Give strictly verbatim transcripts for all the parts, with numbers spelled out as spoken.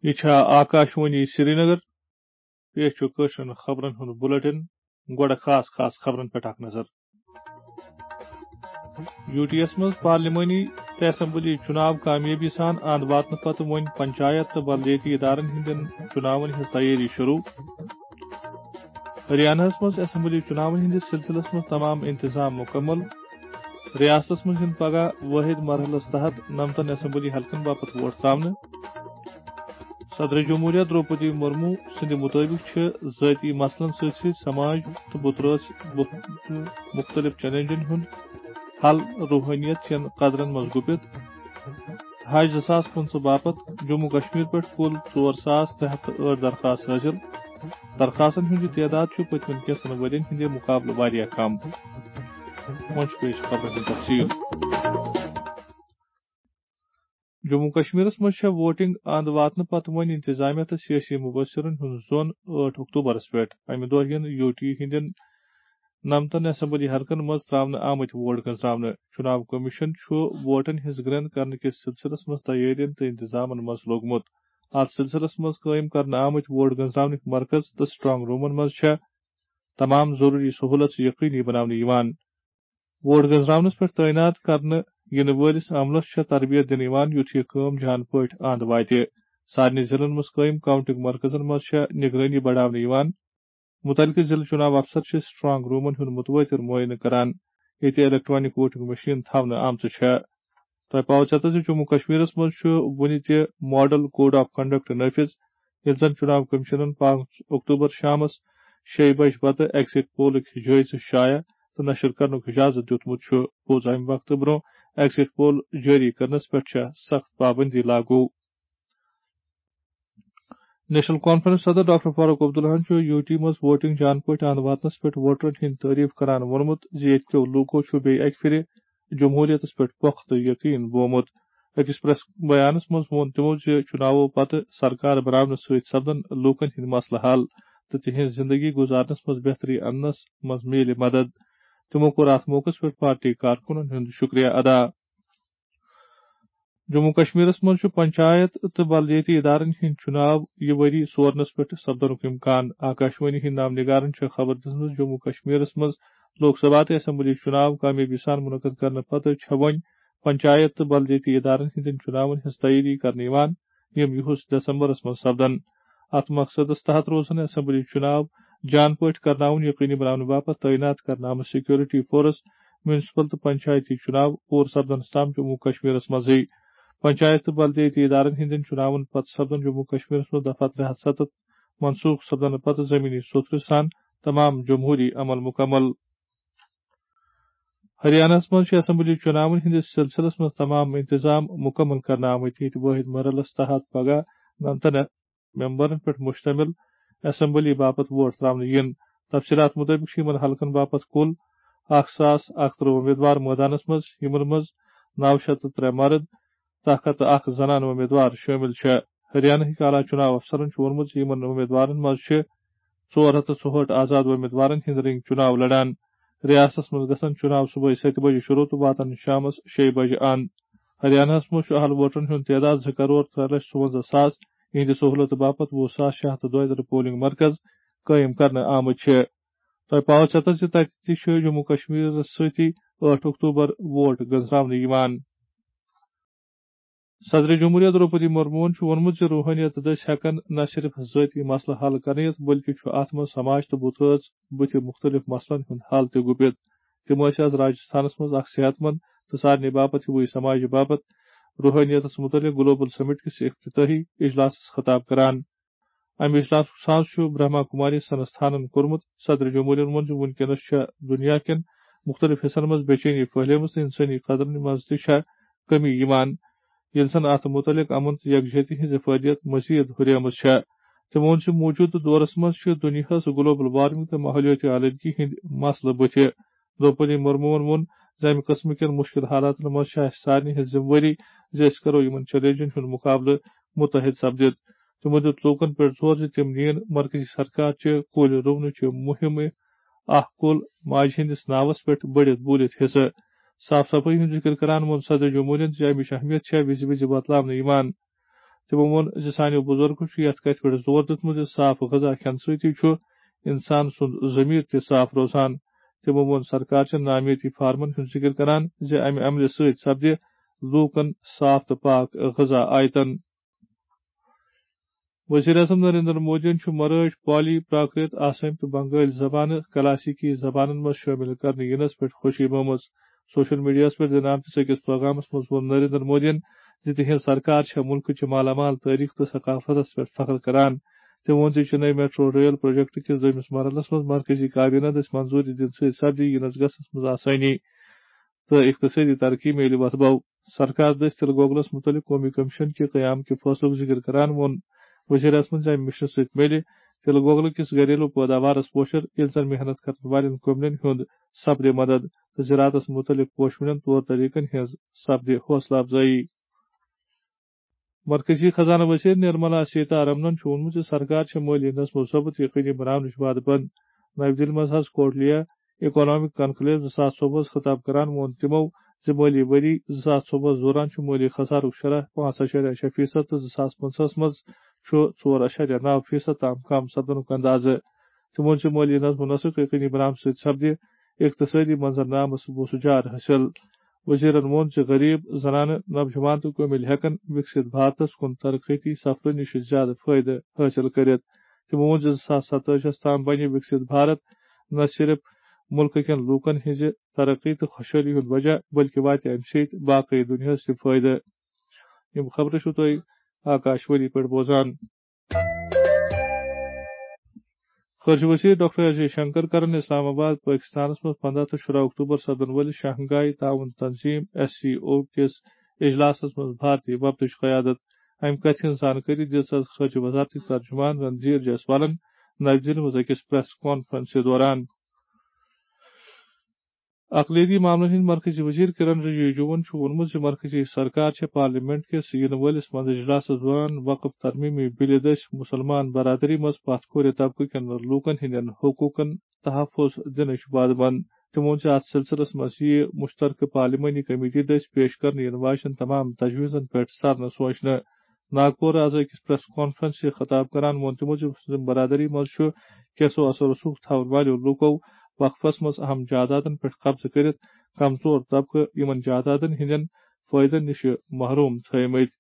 یہِ چھا آکاشوانی سرینگر؟ پیش چھُ کٲشرٮ۪ن خبرن ہُنٛد بُلٹن۔ گۄڈٕ خاص خاص خبرن پٮ۪ٹھ اکھ نظر۔ یوٗ ٹی یَس منٛز پارلیمانی تہٕ اسمبلی چُناو کامیٲبی سان اند واتنہٕ پتہٕ وۄنۍ پنچایت تہٕ بلدیٲتی ادارن ہٕنٛدٮ۪ن چُناون ہٕنٛز تیٲری شروٗع۔ ہریانہ ہَس منٛز اسمبلی چُناون ہٕنٛدِس سلسلس منٛز تمام انتظام مکمل۔ ریاستس منٛز یِن پگاہ وٲحد مرحلس تحت نمتن اسمبلی حلقن باپتھ ووٹ تراونہٕ۔ صدر جمہوریہ درٛوپدی مرمو سٕنٛدِ مُطٲبِق چھِ ذٲتی مسلن سۭتۍ سۭتۍ سماج تہٕ بُترٲژ بُتھ-، مُختٔلِف چیلنجن ہُنٛد حل روحٲنیت چٮ۪ن قدرن منٛز گُپِتھ۔ حج زٕ ساس پٕنٛژٕہ باپتھ جموں کشمیر پٮ۪ٹھ کُل ژور ساس ترٛےٚ ہتھ تہٕ ٲٹھ درخاست حٲصِل۔ درخاستن ہُنٛد یہِ تعداد چھُ پٔتمٮ۪ن کینٛژن ؤرین ہٕنٛدِ مُقابلہٕ واریاہ کم۔ وۄنۍ چھُ پیش خبرن ہُنٛد تفصیل۔ جموں کشمیرس منٛز چھےٚ ووٹنگ اند واتنہٕ پتہٕ وۄنۍ انتظامیہ تہٕ سیٲسی مبصرن ہُنٛد زون ٲٹھ اکتوبرس پٮ۪ٹھ۔ امہِ دۄہ یِن یوٗ ٹی ہٕنٛدٮ۪ن نمتن اسمبلی حلقن منٛز تراونہٕ آمٕتۍ ووٹ گنزراونہٕ۔ چُناو کمیشن چھُ ووٹن ہٕنٛز گرٛنٛد کرنہٕ کِس سلسلس منٛز تیٲرین تہٕ انتظامن منٛز لوٚگمُت۔ اتھ سلسلس منٛز قٲیِم کرنہٕ آمٕتۍ ووٹ گنزراونٕکۍ مرکز تہٕ سٹرانگ رومن منٛز چھےٚ تمام ضروٗری سہوٗلژ یقینی بناونہٕ یِوان۔ ووٹ گنزراونس پٮ۪ٹھ تعینات کرنہٕ یِنہٕ وٲلِس عملس چھےٚ تربیت دِنہٕ یِوان، یُتھ یہِ کٲم جان پٲٹھۍ اند واتہِ۔ سارنٕے ضلعن منٛز قٲیِم کاؤنٹنگ مرکزن منٛز چھےٚ نگرٲنی بڑاونہٕ یِوان۔ مُتعلقہٕ ضلعہٕ چُناو افسر چھِ سٹرانگ رومن ہُنٛد مُتوٲتِر معٲینہٕ کران، ییٚتہِ الیکٹرانک ووٹنگ مشین تھاونہٕ آمژٕ چھےٚ۔ تۄہہِ پاوٕ ژیتس زِ جموں کشمیرس منٛز چھُ وُنہِ تہِ ماڈل کوڈ آف کنڈکٹ نافذ، ییٚلہِ زن چُناو کمیشنن پانٛژھ اکتوبر شامس شیٚیہِ بجہِ پتہٕ ایگزٹ پولٕکۍ جٲیزٕ شایع تہٕ نشر کرنُک اجازت دیُتمُت چھُ۔ پوٚز، امہِ وقتہٕ برٛونٛہہ ایگزٹ پول جٲری کرنس پٮ۪ٹھ چھےٚ سخت پابندی لاگو۔ نیشنل کانفرنس صدر ڈاکٹر فاروق عبداللہن چھُ یوٗ ٹی منٛز ووٹنگ جان پٲٹھۍ اند واتنس پٮ۪ٹھ ووٹرن ہٕنٛدۍ تعریف کران ووٚنمُت زِ ییٚتہِ کیو لوٗکو چھُ بیٚیہِ اکہِ پھِرِ جمہوریتس پٮ۪ٹھ پۄختہٕ یقین بومُت۔ أکِس پریس بیانس منٛز ووٚن تِمو زِ چُناوو پتہٕ سرکار بناونہٕ سۭتۍ سپدن لوٗکن ہٕنٛدۍ مسلہٕ حل تہٕ تِہنٛز زندگی گُزارنس منٛز بہتری اننس منٛز میلہِ مدد۔ تِمو کوٚر اتھ موقعس پٮ۪ٹھ پارٹی کارکُنن ہُنٛد شُکریہ ادا۔ جموں کشمیرس منٛز چھُ پنچایت تہٕ بلدیٲتی ادارن ہٕنٛدۍ چُناو یہِ ؤری سورنس پٮ۪ٹھ سپدنُک امکان۔ آکاشوانی ہٕنٛدۍ نامہ نگارن چھےٚ خبر دِژمٕژ، جموں کشمیرس منٛز لوک سبھا تہٕ اسمبلی چُناو کامیٲبی سان منعقد کرنہٕ پتہٕ چھےٚ وۄنۍ پنچایت تہٕ بلدیٲتی ادارن ہٕنٛدٮ۪ن چُناون ہٕنٛز تیٲری کرنہٕ یِوان، یِم یِہُس دسمبرس منٛز سپدن۔ اتھ مقصدس تحت روزن اسمبلی چُناو جان پٲٹھۍ کرناوُن یقینی بناونہٕ باپتھ تعینات کرنہٕ آمٕژ سیکورٹی فورس، میونسپل تہٕ پنچایتی چُناو پوٗرٕ سپدنس تام جموں کشمیرس منٛزٕے۔ پنچایت تہٕ بلدیٲتی ادارن ہٕنٛدٮ۪ن چُناون پتہٕ سپدن جموں کشمیرس منٛز دفعہ ترٛےٚ ہتھ ستتھ منسوخ سپدنہٕ پتہٕ زمینی سوٚتھرٕ سان تمام جمہوری عمل مکمل۔ ہریانہس منٛز چھِ اسمبلی چُناون ہٕنٛدِس سلسلس منٛز تمام انتظام مکمل کرنہٕ آمٕتۍ، ییٚتہِ وٲحد مرحلس تحت پگاہ نمتن ممبرن پٮ۪ٹھ مشتمل اسمبلی باپتھ ووٹ تراونہٕ یِن۔ تفصیلات مطٲبق چھِ یِمن حلقن باپتھ کُل اکھ ساس اکھ ترٕہ امیدوار مٲدانس منٛز، یِمن منٛز نو شیٚتھ تہٕ ترٛےٚ مرد تہٕ اکھ ہتھ تہٕ اکھ زنانہٕ امیدوار شٲمِل چھےٚ۔ ہریانہٕکۍ اعلیٰ چُناو افسرن چھُ ووٚنمُت زِ یِمن امیدوارن منٛز چھِ ژور ہتھ تہٕ ژُہٲٹھ آزاد امیدوارن ہٕنٛدۍ رٔنگۍ چُناو لڑان۔ ریاستس منٛز گژھن چُناو صبحٲے ستہِ بجہِ شروع تہٕ واتن شامس شیٚیہِ بجہِ اند۔ ہریانہس منٛز چھُ اہل ووٹرن ہُنٛد تعداد زٕ کرور ترٛےٚ لچھ ژُونزہ ساس، یِہنٛدِ سہوٗلتہٕ باپتھ وُہ ساس شےٚ ہتھ تہٕ دۄیہِ ترٕہ پولنگ مرکز قٲیِم کرنہٕ آمٕتۍ چھِ۔ تۄہہِ پاوٕ ژیتس زِ تتہِ تہِ چھُ جموں کشمیرس سۭتی ٲٹھ اکتوبر ووٹ گنزراونہٕ یِوان۔ صدر جمہوریہ درٛوپدی مرموہن چھُ ووٚنمُت زِ روحٲنیت دٔسۍ ہٮ۪کن نہ صرف ذٲتی مسلہٕ حل کرنٲوِتھ، بلکہِ چھُ اتھ منٛز سماج تہٕ بُتھ رٲژ بُتھِ مُختٔلِف مسلن ہُنٛد حل تہِ گُپِتھ۔ تِم ٲسۍ از راجستھانس منٛز اکھ صحت مند تہٕ سارنٕے باپتھ ہِوُے سماجہِ باپتھ روحٲنیتس مُتعلق گلوبل سمٹ کِس افتتاحی اجلاسس خطاب کران۔ امہِ اجلاسُک ساز چھُ برہما کماری سنستھانن کوٚرمُت۔ صدر جمہوریہن ووٚن زِ وُنکیٚنس چھےٚ دُنیا کٮ۪ن مُختٔلِف حصن منٛز بے چینی پھٔہلیمٕژ تہٕ انسٲنی قدرن منٛز تہِ چھےٚ کٔمی یِوان، ییٚلہِ زن اتھ مُتعلق امن تہٕ یکجہتی ہٕنٛز افادیت مزید ہُریمٕژ چھےٚ۔ تٔمۍ ووٚن زِ موٗجوٗدٕ دورس منٛز چھِ دُنیاہس گلوبل وارمنگ تہٕ ماحولیٲتی آلودگی ہٕنٛدۍ مسلہٕ بُتھِ۔ درٛوپدی مرموہن ووٚن زِ امہِ قٕسمٕکٮ۪ن مُشکِل حالاتن منٛز چھےٚ اسہِ سارنٕے ہٕنٛز ذمہٕ وٲری زِ أسۍ کرو یِمن چیلنجن ہُنٛد مُقابلہٕ مُتحد سپدِتھ۔ تِمو دیُت لوٗکن پٮ۪ٹھ زور زِ تِم نِیِن مرکزی سرکار چہِ کُلۍ رُونٕچہِ مُہِمہِ اکھ کُل ماجہِ ہٕنٛدِس ناوس پٮ۪ٹھ بٔڑِتھ بوٗلِتھ حصہٕ۔ صاف صفٲیی ہُنٛد ذِکِر کران ووٚن صدر جمہوٗرِیَن زِ امِچ اہمیت چھےٚ وِزِ وِزِ بتلاونہٕ یِوان۔ تِمو ووٚن زِ سانیو بُزرگو چھُ یَتھ کَتھِ پٮ۪ٹھ زور دیُتمُت زِ صاف غذا کھٮ۪نہٕ سۭتی چھُ اِنسان سُنٛد ضمیٖر تہِ صاف روزان۔ تِمو ووٚن، سرکار چھےٚ نامیٲتی فارمَن ہُنٛد ذِکِر کران زِ اَمہِ عملہِ سۭتۍ سپدِ لوٗکَن صاف تہٕ پاک غذا آیتن۔ وزیر اعظم نریندر مودیَن چھُ مرٲٹھۍ، پالی، پراکرت، آسٲمۍ تہٕ بنگٲلۍ زبانہٕ کلاسیکی زبانن منٛز شٲمِل کرنہٕ یِنس پٮ۪ٹھ خوشی بٲومٕژ۔ سوشل میڈیاہَس پٮ۪ٹھ دِنہٕ آمتِس أکِس پیغامَس منٛز ووٚن نریندر مودیَن زِ تِہنٛز سرکار چھےٚ مُلکٕچہِ مالا مال تٲریخ تہٕ ثقافتَس پٮ۪ٹھ فخر کران۔ تٔمۍ ووٚن زِ چنئی میٹرو ریل پروجیکٹ کِس دوٚیمِس مرحلَس منٛز مرکزی کابینہ دٔسۍ منظوٗری دِنہٕ سۭتۍ سپدِ یِنَس گژھنَس منٛز آسٲنی تہٕ اقتصٲدی ترقی میلہِ وۄتھٕ بَو۔ سرکار دٔسۍ تِلہٕ گۄگلَس مُتعلِق قومی کمیشن کہِ قیام کہِ فٲصلُک ذِکِر کران ووٚن وزیر اعظمَن زِ اَمہِ مِشنہٕ سۭتۍ میلہِ تِلہٕ گۄگلہٕ کِس گھریلو پٲداوارَس پوشر، ییٚلہِ زَن محنت کرن والٮ۪ن کمنٮ۪ن ہُنٛد سپدِ مدد تہٕ زراعتَس مُتعلِق پوشوٕنٮ۪ن طور طریقن ہٕنٛز سپدِ حوصلہٕ افزٲیی۔ مرکزی خزانہٕ وزیر نرملا سیتارمنن چھُ ووٚنمُت زِ سرکار چھےٚ مٲلی نظم و ضبط یقینی بناونٕچ وعدٕ بنٛد۔ نَوِ دِلہِ منٛز حض کوٹلیا اکنامک کنکلیو زٕ ساس ژوٚوُہَس خطاب کران ووٚن تِمو زِ مٲلی ؤری زٕ ساس ژوٚوُہَس دوران چھُ مٲلی خسارُک شرح پانٛژھ اَشاریہ شےٚ فیصد تہٕ زٕ ساس پٕنٛژٕہَس منٛز چھُ ژور اَشاریہ نَو فیصد تام کم سپدنُک اندازٕ۔ تِمو ووٚن زِ مٲلی نظم و نسق یقینی بناونہٕ سۭتۍ سپدِ اقتصٲدی منظرنامس بوٚسہٕ جار حٲصِل۔ وزیرن ووٚن زِ غریب، زنانہٕ، نوجوان تہٕ کُمِل ہٮ۪کن وِکسِت بھارتس کُن ترقیتی سفرٕ نِش زیادٕ فٲیدٕ حٲصِل کٔرِتھ۔ تِمو ووٚن زِ زٕ ساس ستٲجِہَس تام بنہِ وِکسِت بھارت نہ صرف مُلکہٕ کٮ۪ن لوٗکن ہٕنٛزِ ترقی تہٕ خۄشحٲلی ہُنٛد وجہ، بلکہِ واتہِ اَمہِ سۭتۍ باقٕے دُنیاہَس تہِ فٲیدٕ۔ یِم خبرٕ چھِو تُہۍ آکاش وانی پٮ۪ٹھ بوزان۔ خارجہ وزیر ڈاکٹر ایس جے شنکر کرن اسلام آباد، پٲکستانَس منٛز پنٛداہ تہٕ شُراہ اکتوبر سپدن وٲلِس شنگھائی تعاون تنظیم، ایس سی او، کِس اجلاسَس منٛز بھارتی وفدٕچ قیادت۔ اَمہِ کَتھِ ہٕنٛز زانکٲری دِژ خارجہ وزارتٕکۍ ترجمان رندھیر جیسوالَن نَوِ دِلہِ منٛز أکِس پریس کانفرنسہِ دوران۔ اقلیتی معاملن ہٕنٛدۍ مرکزی وزیر کرن رجیجوَن چھُ ووٚنمُت زِ مرکزی سرکار چھےٚ پارلیمنٹ کِس یِنہٕ وٲلِس منٛز اجلاسَس دوران وقف ترمیمی بلہِ دٔسۍ مُسلمان برادری منٛز پتھ کھورِ طبقہٕ کٮ۪ن لوٗکَن ہٕنٛدٮ۪ن حقوٗقَن تحفظ دِنٕچ وعدٕ منٛد۔ تٔمۍ ووٚن زِ اَتھ سلسلس منٛز یِیہِ مُشترکہٕ پارلیمانی کمیٹی دٔسۍ پیش کرنہٕ یِنہٕ واجٮ۪ن تمام تجویٖزَن پٮ۪ٹھ سرنہٕ سونچنہٕ۔ ناگپور آز أکِس پریس کانفرنسہِ خطاب کران ووٚن تِمو زِ مسلم برادری منٛز چھُ کیسو اثر رسوخ تھاون والیو لوٗکو وقفس منٛز اہم جائیدادن پٮ۪ٹھ قبضہٕ کٔرِتھ کمزور طبقہٕ یِمن جائیدادن ہٕنٛدٮ۪ن فٲیدن نِش محروم تھٲومٕتۍ۔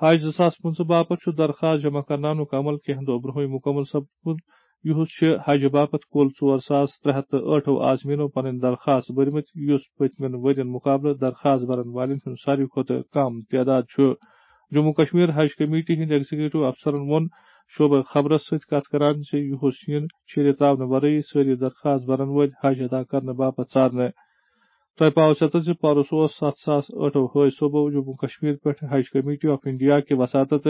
حج زٕ ساس پٕنٛژٕہ باپتھ چھُ درخواست جمع کرناونُک عمل کینٛہہ دۄہ برٛونٛہٕے مُکمل سپدمُت۔ یُہُس چھِ حج باپتھ کُل ژور ساس ترٛےٚ ہَتھ تہٕ ٲٹھ عازمیٖنو پنٕنۍ درخواست بٔرمٕتۍ، یُس پٔتمٮ۪ن ؤرین مُقابلہٕ درخواست بَرَن والٮ۪ن ہُنٛد ساروی کھۄتہٕ کم تعداد چھُ۔ جموں کشمیر حج کمیٹی ہٕنٛدۍ ایگزیکٹو افسرَن ووٚن شعبہٕ خبرَس سۭتۍ کتھ کران زِ یُہُس یِن شیٖرِتھ تراونہٕ ورٲیی سٲری درخواست بَرَن وٲلۍ حج ادا کرنہٕ باپتھ ژارنہٕ۔ تۄہہِ پاوٕ ژےٚ تہٕ زِ پرُس اوس ستھ ساس ٲٹھو حٲج صٲبو جموں کشمیر پٮ۪ٹھ حج کمیٹی آف انڈیا کہِ وساطت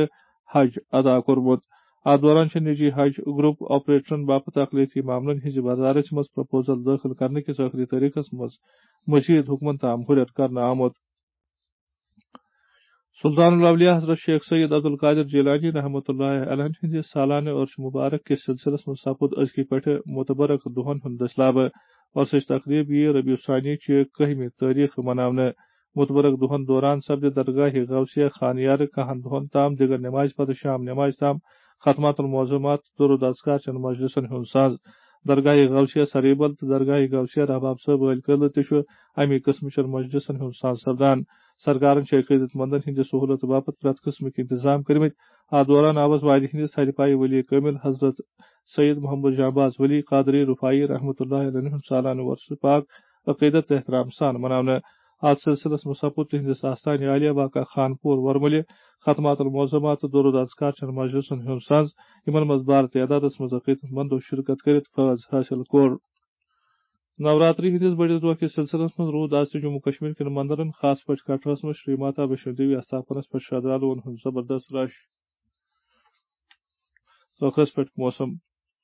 حج ادا کوٚرمُت۔ اتھ دوران چھِ نجی حج گروپ آپریٹرن باپتھ اقلیتی معاملن ہٕنٛزِ وزارت منٛز پروپوزل دٲخل کرنہٕ کِس ٲخری تٲریخس منٛز مزید حکمن تام ہُرٮ۪ر کرنہٕ آمُت۔ سلطان الاولیاء حضرت شیخ سید عبدالقادر جیلانی رحمۃ اللہ علیہ ہٕنٛدِ سالانہٕ عرس مبارک کِس سلسلس منٛز سپُد أزکہِ پٮ۪ٹھٕ متبرک دۄہن ہُنٛد دٔسلابہٕ۔ عرسٕچ تقریب یِیہِ ربیع الثانی چہِ کٔہمہِ تٲریخ مناونہٕ۔ متبرک دۄہن دوران سپدِ درگاہ غوثیہ خانیارٕ کاہن دۄہن تام دِگر نمازِ پتہٕ شام نمازِ تام ختمات المعظمات، درود اذکار چٮ۪ن مجلسن ہُنٛد ساز۔ درگاہ غوثیہ سریبل تہٕ درگاہ غوثیہ رحباب صٲب ٲلۍ قلعہٕ تہِ چھُ اَمی قٕسمہٕ چٮ۪ن مجلسن ہُنٛد ساز سپدان۔ سرکارن چھِ عقیدت مندن ہٕنٛدِ سہولت باپتھ پرٛٮ۪تھ قٕسمٕکۍ انتظام کٔرمٕتۍ۔ اتھ دوران آوس وادی ہٕنٛدِس تھدِ پایہِ ولی کٲمل حضرت سید محمد جانباز ولی قادری رفاعی رحمۃ اللہ علیہ ہُنٛد سالانہٕ وۄرثہٕ پاک عقیدت تہٕ احترام سان مناونہٕ۔ اتھ سلسلس منٛز سپُد تِہنٛدِس آستانہِ عالیہ واقع خانپور ورمُلہِ ختمات المعظمات تہٕ درود اذکار چٮ۪ن مجلسن ہُنٛد ساز، یِمن منٛز بار تعدادس منٛز عقیدت مندو شرکت کٔرِتھ فٲض حٲصِل کوٚر۔ نوراتری ہٕنٛدِس بٔڑِس دۄہ کِس سلسلس منٛز روٗد از تہِ جموں کشمیر کٮ۪ن مندرن، خاص پٲٹھۍ کٹرس منٛز شری ماتا ویشنو دیوی استھاپنس پٮ۪ٹھ شردھالوٗوَن ہُنٛد زبردست رش۔ ٲخرس پٮ۪ٹھ موسم۔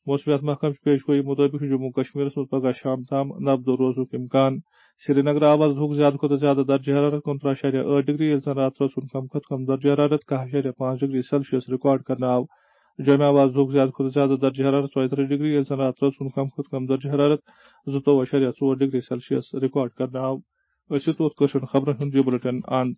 موسمیات محکمہٕ چہِ پیش گویی مُطٲبِق چھُ جموں کشمیرس منٛز پگہہ شام تام نبدو روزنُک امکان۔ سرینگر آو از دُہُک زیادٕ کھۄتہٕ زیادٕ درجہ حرارت کُنترٕہ اَشاریہ ٲٹھ ڈگری، ییٚلہِ زن راتہٕ رٲژ ہُنٛد کم کھۄتہٕ کم درجہ حرارت کاہ اَشاریہ پانٛژھ ڈگری سیلسیس ریکارڈ کرنہٕ آو۔ جوٚمہِ آو از دُہُک زیادٕ کھۄتہٕ زیادٕ درجہ حرارت ژۄیہِ ترٕٛہ ڈگری، ییٚلہِ زن راتہٕ رٲژ ہُنٛد کم کھۄتہٕ کم درجہ حرارت زٕتووُہ اَشاریہ ژور ڈگری سیلسیس ریکارڈ کرنہٕ آو۔ أسۍ چھِ توٚت کٲشرٮ۪ن خبرن ہُنٛد یہِ بُلٹن اند۔